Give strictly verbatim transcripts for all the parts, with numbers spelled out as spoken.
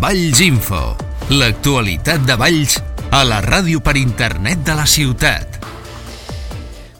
Valls Info, l'actualitat de Valls a la ràdio per internet de la ciutat.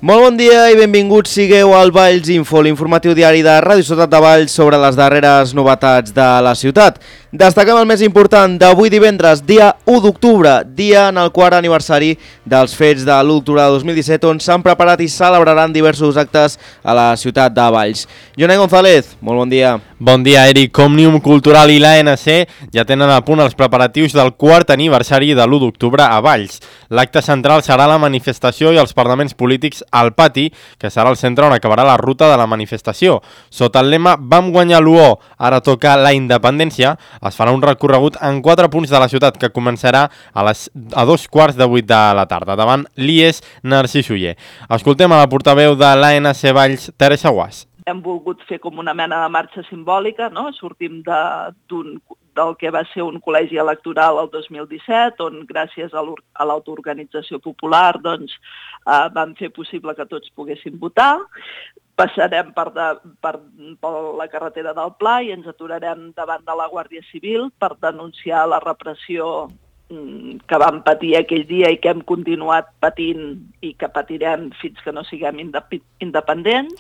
Molt bon dia i benvinguts sigueu al Valls Info, l'informatiu diari de Ràdio Ciutat de Valls sobre les darreres novetats de la ciutat. Destaquem el més important d'avui divendres, dia u d'octubre, dia en el quart aniversari dels fets de l'u d'octubre de dos mil disset, on s'han preparat i celebraran diversos actes a la ciutat de Valls. Jonai González, molt bon dia. Bon dia, Eric. Òmnium Cultural i l'A N C ja tenen a punt els preparatius del quart aniversari de l'u d'octubre a Valls. L'acte central serà la manifestació i els parlaments polítics al pati, que serà el centre on acabarà la ruta de la manifestació. Sota el lema "Vam guanyar l'U O, ara toca la independència", es farà un recorregut en quatre punts de la ciutat que començarà a, les, a dos quarts de vuit de la tarda, davant l'I E S Narcís Oller. Escoltem a la portaveu de l'A N C Valls, Teresa Guas. Hem volgut fer com una mena de marxa simbòlica, no? Sortim de, d'un, del que va ser un col·legi electoral el dos mil disset, on gràcies a l'autoorganització popular doncs, eh, vam fer possible que tots poguessin votar. Passarem per, de, per, per la carretera del Pla i ens aturarem davant de la Guàrdia Civil per denunciar la repressió que vam patir aquell dia i que hem continuat patint i que patirem fins que no siguem independents.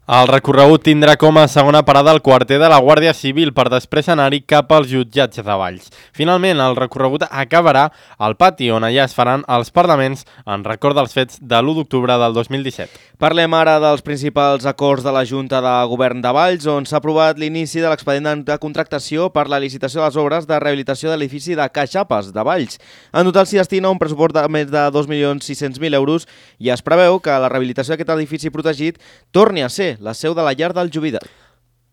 El recorregut tindrà com a segona parada el quarter de la Guàrdia Civil per després anar-hi cap als jutjats de Valls. Finalment, el recorregut acabarà al pati, on allà es faran els parlaments en record dels fets de l'u d'octubre del dos mil disset. Parlem ara dels principals acords de la Junta de Govern de Valls, on s'ha aprovat l'inici de l'expedient de contractació per la licitació de les obres de rehabilitació de l'edifici de Caixapes de Valls. En total s'hi destina un pressupost de més de dos milions sis-cents mil euros i es preveu que la rehabilitació d'aquest edifici protegit torni a ser la seu de la llar del jubilat.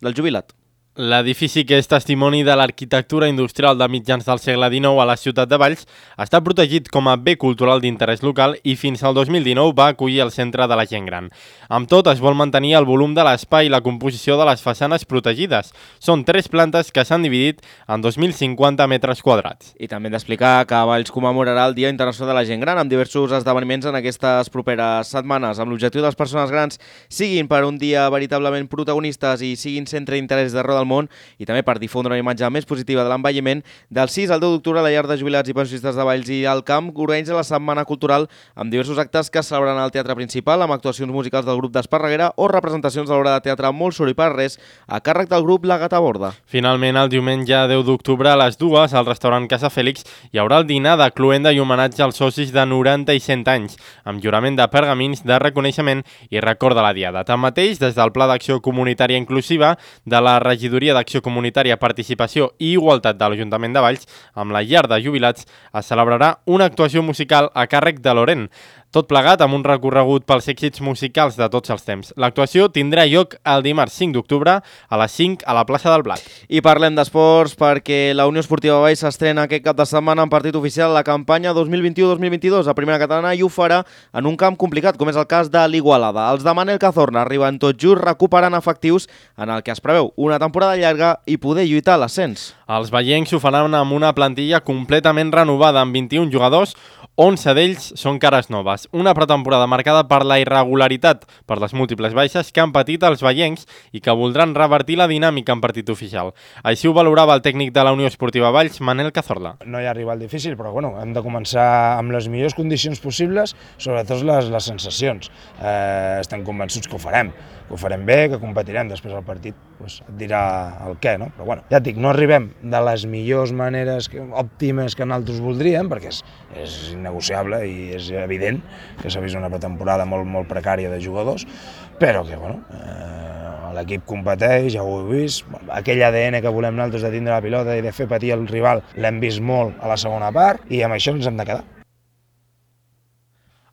Del jubilat. L'edifici, que és testimoni de l'arquitectura industrial de mitjans del segle dinou a la ciutat de Valls, està protegit com a bé cultural d'interès local i fins al dos mil dinou va acollir el centre de la gent gran. Amb tot, es vol mantenir el volum de l'espai i la composició de les façanes protegides. Són tres plantes que s'han dividit en dos mil cinquanta metres quadrats. I també hem d'explicar que Valls commemorarà el Dia Internacional de la Gent Gran amb diversos esdeveniments en aquestes properes setmanes, amb l'objectiu de les persones grans siguin per un dia veritablement protagonistes i siguin centre d'interès d'arreu del món, i també per difondre una imatge més positiva de l'envelliment. Del sis al deu d'octubre, la llar de jubilats i pensionistes de Valls i el Camp organitza la setmana cultural amb diversos actes que es celebraran al teatre principal, amb actuacions musicals del grup d'Esparreguera o representacions de l'obra de teatre Molt soroll per res a càrrec del grup La Gata Borda. Finalment, el diumenge deu d'octubre a les dues, al restaurant Casa Fèlix, hi haurà el dinar de cloenda i homenatge als socis de noranta i cent anys, amb jurament de pergamins de reconeixement i record de la diada. Tanmateix, des del Pla d'Acció Comunitària Inclusiva de la Regidoria d'Acció Comunitària, Participació i Igualtat de l'Ajuntament de Valls, amb la llar de jubilats, es celebrarà una actuació musical a càrrec de Loren, tot plegat amb un recorregut pels èxits musicals de tots els temps. L'actuació tindrà lloc el dimarts cinc d'octubre a les cinc a la plaça del Blat. I parlem d'esports perquè la Unió Esportiva Valls s'estrena aquest cap de setmana en partit oficial a la campanya dos mil vint-i-u dos mil vint-i-dos a Primera Catalana i ho farà en un camp complicat, com és el cas de l'Igualada. Els de Manel Cazorna arriben tot just recuperant efectius en el que es preveu una temporada llarga i poder lluitar a l'ascens. Els vallencs ho faran amb una plantilla completament renovada amb vint-i-un jugadors, onze d'ells són cares noves. Una pretemporada marcada per la irregularitat, per les múltiples baixes que han patit els vallencs i que voldran revertir la dinàmica en partit oficial. Així ho valorava el tècnic de la Unió Esportiva Valls, Manel Cazorla. No hi ha rival difícil, però bueno, hem de començar amb les millors condicions possibles, sobretot les, les sensacions. Eh, estem convençuts que ho farem, que ho farem bé, que competirem. Després el partit pues, et dirà el què, no? Però bueno, ja et dic, no arribem de les millors maneres que, òptimes que nosaltres voldríem, perquè és, és innegociable i és evident que s'ha vist una pretemporada molt, molt precària de jugadors, però que bueno, eh, l'equip competeix, ja ho heu vist, aquell A D N que volem nosaltres de tindre la pilota i de fer patir el rival l'hem vist molt a la segona part i amb això ens hem de quedar.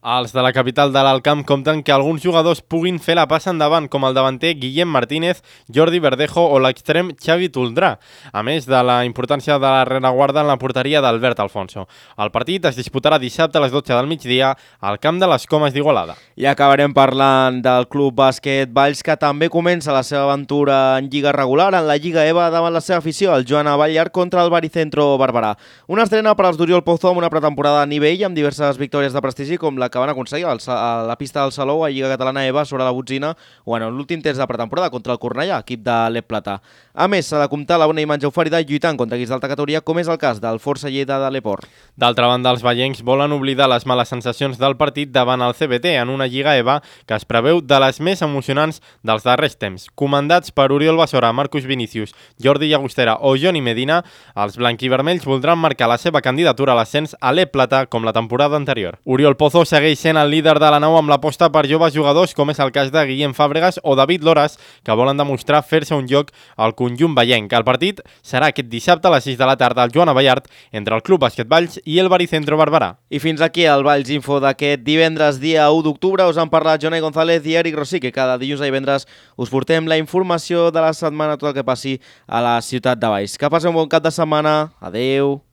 Els de la capital de l'Alt Camp compten que alguns jugadors puguin fer la passa endavant, com el davanter Guillem Martínez, Jordi Verdejo o l'extrem Xavi Toldrà, a més de la importància de la rereguarda en la porteria d'Albert Alfonso. El partit es disputarà dissabte a les dotze del migdia al camp de les Comes d'Igualada. I acabarem parlant del Club Bàsquet Valls, que també comença la seva aventura en lliga regular, en la Lliga EVA, davant la seva afició, el Joan Aballar contra el Baricentro Barberà. Una estrena per als d'Oriol Pozo amb una pretemporada a nivell, amb diverses victòries de prestigi, com la que que van aconseguir a la pista del Salou a Lliga Catalana EVA sobre la botzina o en l'últim test de pretemporada contra el Cornellà, equip de l'E P Plata. A més, s'ha de comptar la bona imatge oferida lluitant contra equips d'alta categoria, com és el cas del Força Lleida de l'Eport. D'altra banda, els vallencs volen oblidar les males sensacions del partit davant el C B T en una Lliga EVA que es preveu de les més emocionants dels darrers temps. Comandats per Oriol Basora, Marcus Vinícius, Jordi Llagostera o Johnny Medina, els blanquivermells voldran marcar la seva candidatura a l'ascens a l'E P Plata com la temporada anterior. Oriol Pozo segueix sent el líder de la nau amb l'aposta per joves jugadors com és el cas de Guillem Fàbregas o David Loras, que volen demostrar fer-se un lloc al conjunt vallenc. El partit serà aquest dissabte a les sis de la tarda al Joan Abellart entre el Club Bàsquet Valls i el Baricentro Barberà. I fins aquí el Valls Info d'aquest divendres, dia u d'octubre. Us han parlat Jonai González i Eric Rossi, que cada dilluns a divendres us portem la informació de la setmana, tot el que passi a la ciutat de Valls. Que passeu un bon cap de setmana. Adeu.